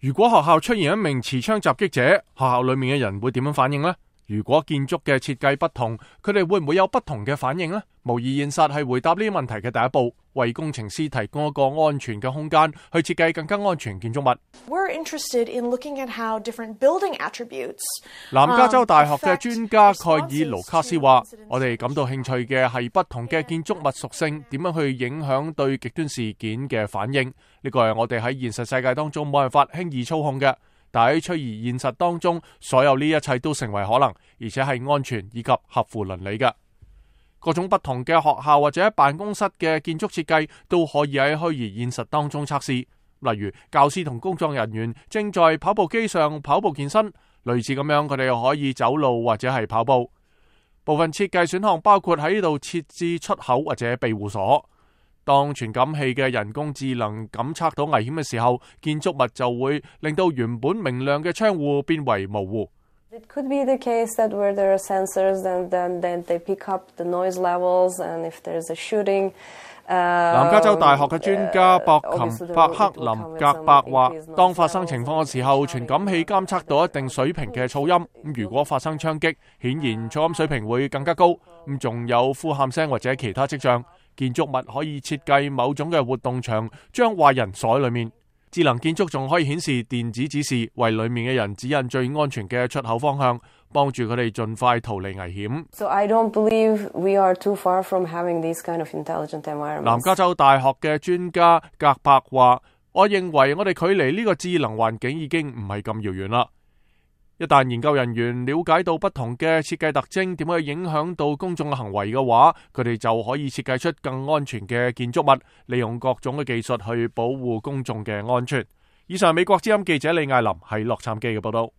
如果學校出現一名持槍襲擊者，學校裏面嘅人會點樣反應呢？如果建築嘅設計不同，佢哋會唔會有不同嘅反應呢？模擬現實係回答呢啲問題嘅第一步，為工程師提供一個安全嘅空間去設計更加安全建築物。We're interested in looking at how different building attributes. 南加州大學嘅專家蓋爾盧卡斯話：我哋感到興趣嘅係不同嘅建築物屬性點樣去影響對極端事件嘅反應。呢個係我哋喺現實世界當中冇辦法輕易操控嘅。但喺虛擬現實當中，所有呢一切都成為可能，而且係安全以及合乎倫理嘅。各種不同嘅學校或者辦公室嘅建築設計都可以喺虛擬現實當中測試。例如，教師同工作人員正在跑步機上跑步健身，類似咁樣，佢哋可以走路或者係跑步。部分設計選項包括喺呢度設置出口或者庇護所。當傳感器嘅人工智能感測到危險嘅時候，建築物就會令到原本明亮嘅窗戶變為模糊。It could be the case that where there are sensors, then they pick up the noise levels, and if there's a shooting. 南加州大學嘅專家伯克林格伯話：當發生情況嘅時候，傳感器監測到一定水平嘅噪音。如果發生槍擊，顯然噪音水平會更加高。仲有呼喊聲或者其他跡象。建築物可以設計某種嘅活動牆，將壞人鎖喺裏面。智能建築仲可以顯示電子指示，為裏面嘅人指引最安全嘅出口方向，幫助佢哋盡快逃離危險。So I don't believe we are too far from having these kind of intelligent environments. 南加州大學嘅專家格伯話：我認為我哋距離呢個智能環境已經唔係咁遙遠啦。一旦研究人員了解到不同嘅設計特徵點樣影響到公眾嘅行為嘅話，佢哋就可以設計出更安全嘅建築物，利用各種嘅技術去保護公眾嘅安全。以上美國之音記者李艾琳喺洛杉磯嘅報道。